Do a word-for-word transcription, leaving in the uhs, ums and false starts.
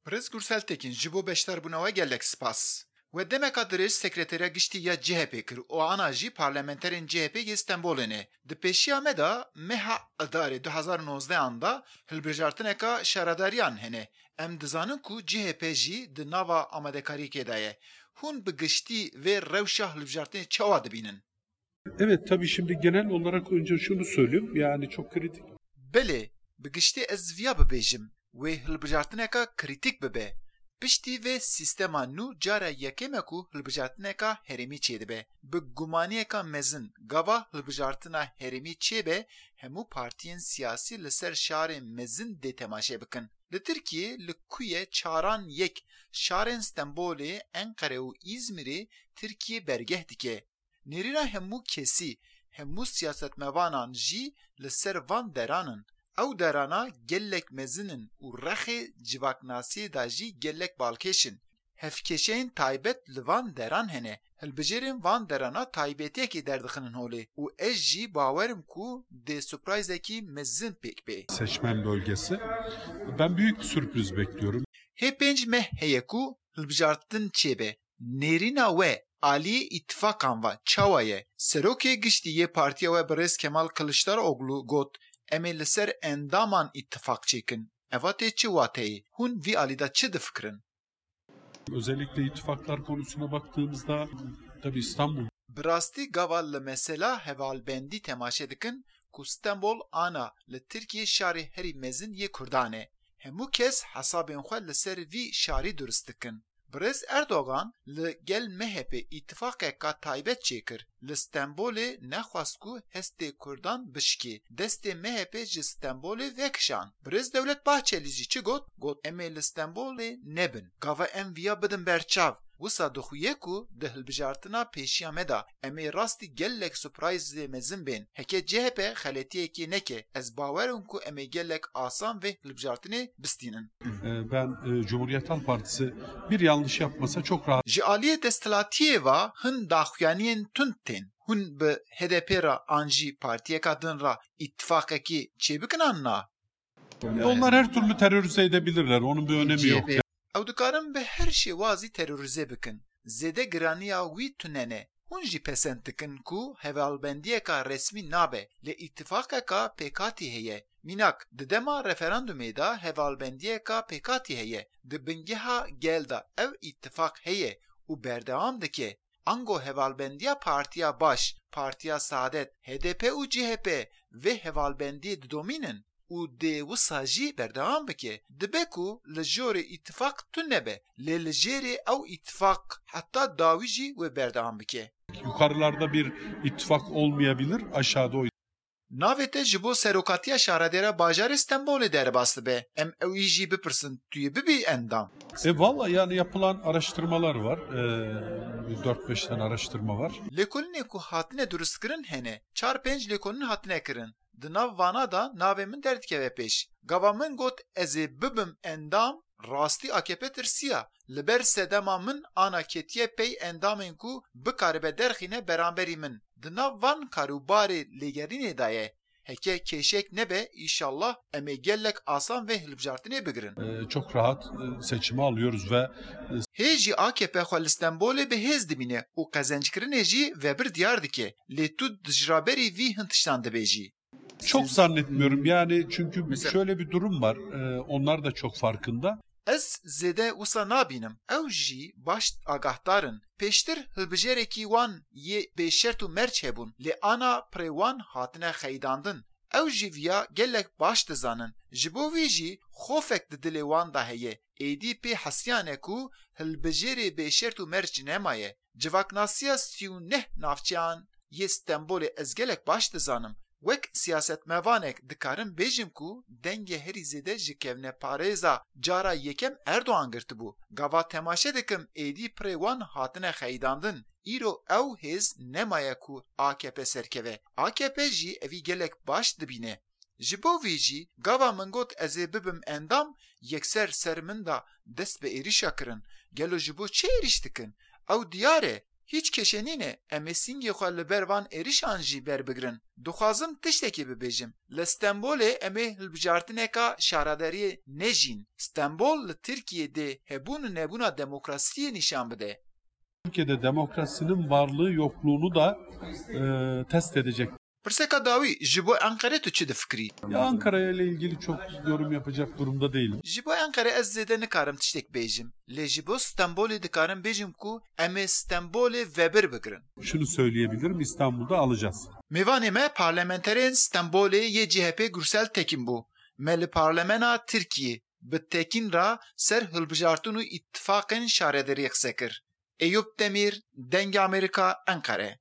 Birêz Gursel Tekin, ji bo beşdarbûna we gelek spas. We demeka dirêj Sekreteriya Giştî ya C H P kir û ana jî parlamenterên C H P yê Stenbolê ne. Di pêşiya me de meha Idarê du hezar û nozdeh an de hilbijartineka şaredariyan hene. Em dizanin ku C H P jî di nava amadekariyekê de ye. Hûn bi giştî vê rewşa hilbijartinê çawa dibînin? Evet, tabii şimdi genel olarak önce şunu söyleyeyim, yani çok kritik. Belê, bi giştî ez viya bibêjim, wê hilbijartineka krîtîk bibe. Piştî vê sîstema nû cara yekêm e ku hilbijartineka herêmî çêdibe. Bi gumaniyeka mezin, gava hilbijartina herêmî çêbe, hemû partiyên siyasî li ser şarên mezin dê temaşe bikin. Li Tirkiyê li ku ye çaran yek şarên Stenbolê, Enqere û Îzmîrê Tirkiye bergeh dike. Nêrîna hemû kesî, hemû siyasetmevanan jî li ser van deran in. Ew derana gelek mezin in û rexê civaknasiyê de jî gelek balkêş in. Hevkêşeyên taybet li van deran hene. Hilbijêrên van derana taybetiyekê derdixinin holê û ez jî bawer im ku dê surprizekî mezin pêk bê. Seçmen bölgesi. Ben büyük bir sürpriz bekliyorum. Hê pênc meh heye ku hilbijartin çêbe. Nêrîna we aliyê îtifakan ve çawa ye? Serokê Giştî yê partiya we birêz Kemal Kiliçdaroglu got, em ê li ser endaman îtifaq çêkin. Eva tê çi wateyê? Hûn vî alî de çi difikirin? Özellikle ittifaklar konusuna baktığımızda tabii İstanbul. Bi rastî gava li mesela hevalbendî temaşe dikin ku Stenbol ana li Tirkiyê şarê herî mezin yê Kurdan e. Hemû kes hesabên xwe li ser vî şarî durist dikin. Birêz Erdogan li gel M H P îtifaqeka taybet çêkir. Li Stenbolê nexwest ku hestê Kurdan bişikê. Destê M H P ji Stenbolê vekişand. Birêz Dewlet Bahçelî jî çi got? Got, em ê li Stenbolê nebin. Gava em viya bidin ber çav. Wisa dixuye ku di hilbijartina pêşiya me de em ê rastî gelek surprizê mezin bên. Heke C H P xeletiyekê neke, ez bawer im ku em ê gelek asan vê hilbijartinê bistînin. Ee, ben e, Cumhuriyet Halk Partisi bir yanlış yapmasa çok rahat. Ji aliyê desthilatiyê ve hin daxuyaniyên tund tên. Hûn bi H D P re an jî partiyeka din re îtifaqekî çêbikin an na? E, onlar her türlü terörize edebilirler. Onun bir önemi yok. Ew dikarin bi her şêwazî terorîze bikin. Zêde giraniya wî tune ne. Hûn jî pesend dikin ku hevalbendiyeka resmî nabe, lê îtifaqeka pêkhatî heye. Mînak, di dema referandumê de hevalbendiyeka pêkhatî heye. Di bingeha gel de ev îtifaq heye û berdewam dike. Ango hevalbendiya Partiya Baş, Partiya Saadet, H D P û C H P vê hevalbendiyê didomînin û dê wisa jî berdewam bike. Dibe ku li jorê îtifaq tune be, lê li jêrê ew îtifaq heta dawî jî wê berdewam bike. Yukarılarda bir ittifak olmayabilir, aşağıda o. Navê te ji bo serokatiya şaredêra bajarê Stenbolê derbas dibe. Em ewî jî bipirsin, tu yê bibî endam? E valla yani yapılan araştırmalar var. E, bir dört beş tane araştırma var. Lêkolînê ku hatine durustkirin hene. Çar pênc lêkolîn hatine kirin. Di nav vana de navê min derdikeve pêş. Gava min got ez ê bibim endam, rastî A K P tirsiya. Li ber sedema min ana ketiye pey endamên ku bikaribe derxîne beramberî min. Di nav van karûbarê lêgerînê de ye. Heke kêşek nebe, îşallah em ê gelek asan vê hilbijartinê bigirin. E, çok rahat e, seçimi alıyoruz ve Hê jî A K P xwe li Stenbolê bi hêz dibîne û qezenckirinê jî vebir diyar dike. Lê tu dijraberî vî hin tiştan dibêjî. Çok zannetmiyorum yani, çünkü şöyle bir durum var. E, onlar da çok farkında. Ez zêde wisa nabînim. Ew jî baş agahdar in. Pêştir hilbijêrekî wan yê bêşert û merc hebûn, lê ana pirê wan hatine xeyidandin. Ew jî viya gelek baş dizanin. Ji bo vî jî xofek di dilê wan de heye. Êdî pê hesiyane ku hilbijêrê bêşert û merc nemaye. Civaknasiya sî û neh navçeyan yê Stenbolê ez gelek baş dizanim. Wek siyasetmevanek dikarim bêjim ku dengê herî zêde ji kevneparêza cara yekem Erdogan girtibû. Gava temaşe dikim êdî pirê wan hatine xeyidandin. Îro ew hêz nemaye ku A K P serkeve. A K P jî evî gelek baş dibîne. Ji bo vî jî gava min got ez ê bibim endam, yekser ser min de dest bi êrîşa kirin. Gelo ji bo çi êrîş dikin? Ew diyar e. Hîç keşe nîne, em ê sîngê xwe li ber van êrişan jî berbigirin. Dixwazim tiştekê bibêjim. Li Stenbolê em ê hilbijartineka şaredariyê nejîn. Stenbol li Tirkiyê dê hebûn û nebûna demokrasiyê nîşan bide. Türkiye'de demokrasinin varlığı yokluğunu da e, test edecek. Pirseka dawî, ji bo Enqerê tu çi difikirî? Ya Ankara ile ilgili çok yorum yapacak durumda değilim. Ji bo Enqerê ez zêde nikarim tiştek bêjim. Lê ji bo Stenbolê dikarim bêjim ku em ê Stenbolê vebir bigirin. Şunu söyleyebilirim, İstanbul'da alacağız. Mêvanê me parlamenterên Stenbolê yê C H P Gürsel Tekin bû. Me li parlemena Tirkiyê bi Tekin re ser hilbijartin û îtifaqên şaredariyê qise kir. Eyûp Demîr, Dengê Amerîka, Enqere.